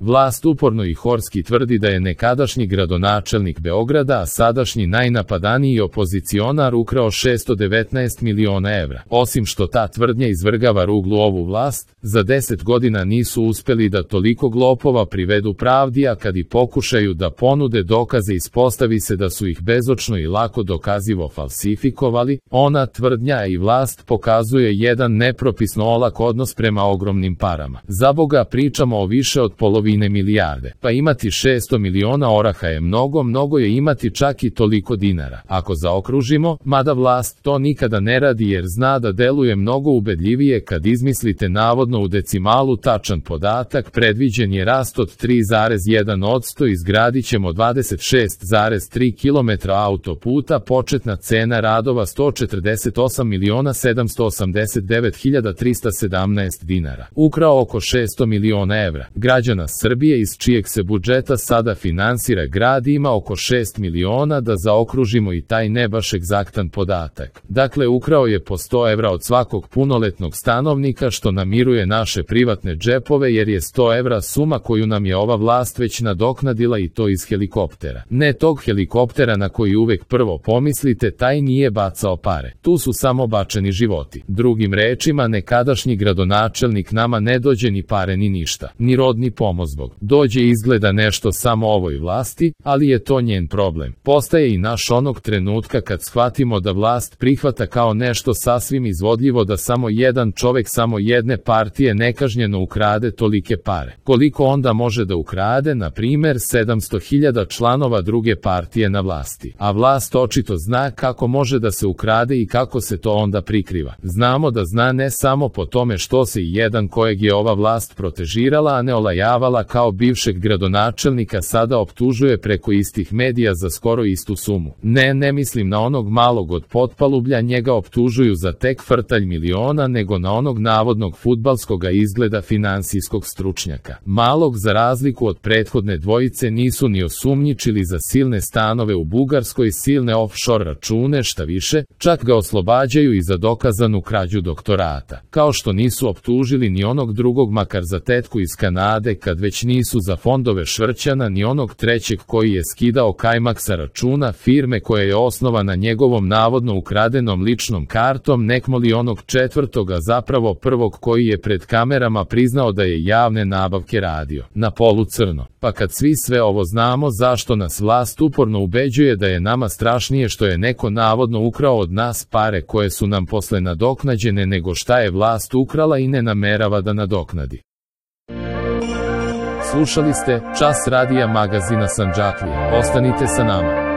Vlast uporno i horski tvrdi da je nekadašnji gradonačelnik Beograda, a sadašnji najnapadaniji opozicionar ukrao 619 miliona evra. Osim što ta tvrdnja izvrgava ruglu ovu vlast, za 10 godina nisu uspeli da toliko lopova privedu pravdi, a kad i pokušaju da ponude dokaze ispostavi se da su ih bezočno i lako dokazivo falsifikovali. Ona tvrdnja i vlast pokazuje jedan nepropisno olak odnos prema ogromnim parama. Za Boga, pričamo o više od polovine milijarde. Pa imati 600 miliona oraha je mnogo je imati čak i toliko dinara. Ako zaokružimo, mada vlast to nikada ne radi jer zna da deluje mnogo ubedljivije kad izmislite navodno u decimalu tačan podatak, predviđen je rast od 3,1%, izgradit ćemo 26,3 km autoputa, početna cena radova 148.789.317 dinara. Ukrao oko 600 miliona evra. Građana Srbije iz čijeg se budžeta sada finansira grad ima oko 6 miliona, da zaokružimo i taj ne baš egzaktan podatak. Dakle, ukrao je po 100 evra od svakog punoletnog stanovnika, što namiruje naše privatne džepove jer je 100 evra suma koju nam je ova vlast već nadoknadila, i to iz helikoptera. Ne tog helikoptera na koji uvek prvo pomislite, taj nije bacao pare. Tu su samo bačeni životi. Drugim rečima, nekadašnji gradonačelnik nama ne dođe ni pare ni ništa, ni rod ni pomozbog. Dođe izgleda nešto samo ovoj vlasti, ali je to njen problem. Postaje i naš onog trenutka kad shvatimo da vlast prihvata kao nešto sasvim izvodljivo da samo jedan čovek samo jedne partije nekažnjeno ukrade tolike pare. Koliko onda može da ukrade, na primer, 700.000 članova druge partije na vlasti? A vlast očito zna kako može da se ukrade i kako se to onda prikriva. Znamo da zna ne samo po tome što se i jedan kojeg je ova vlast protežirala, a ne olajavala kao bivšeg gradonačelnika, sada optužuje preko istih medija za skoro istu sumu. Ne mislim na onog malog od potpalublja, njega optužuju za tek frtalj miliona, nego na onog navodnog fudbalskoga izgleda finansijskog stručnjaka. Malog, za razliku od prethodne dvojice, nisu ni osumnjičili za silne stanove u Bugarskoj, silne offshore račune, šta više, čak ga oslobađaju i za dokazanu krađu doktorata. Kao što nisu optužili ni onog drugog makar za tetku iz Kanade, kad već nisu za fondove Švrćana, ni onog trećeg koji je skidao kajmak sa računa firme koja je osnovana njegovom navodno ukradenom ličnom kartom, nekmoli onog četvrtoga, zapravo prvog, koji je pred kamerama priznao da je javne nabavke radio na polu crno. Pa kad svi sve ovo znamo, zašto nas vlast uporno ubeđuje da je nama strašnije što je neko navodno ukrao od nas pare koje su nam posle nadoknađene nego šta je vlast ukrala i ne namerava da nadoknadi? Slušali ste Čas radija magazina Sandžaklija. Ostanite sa nama.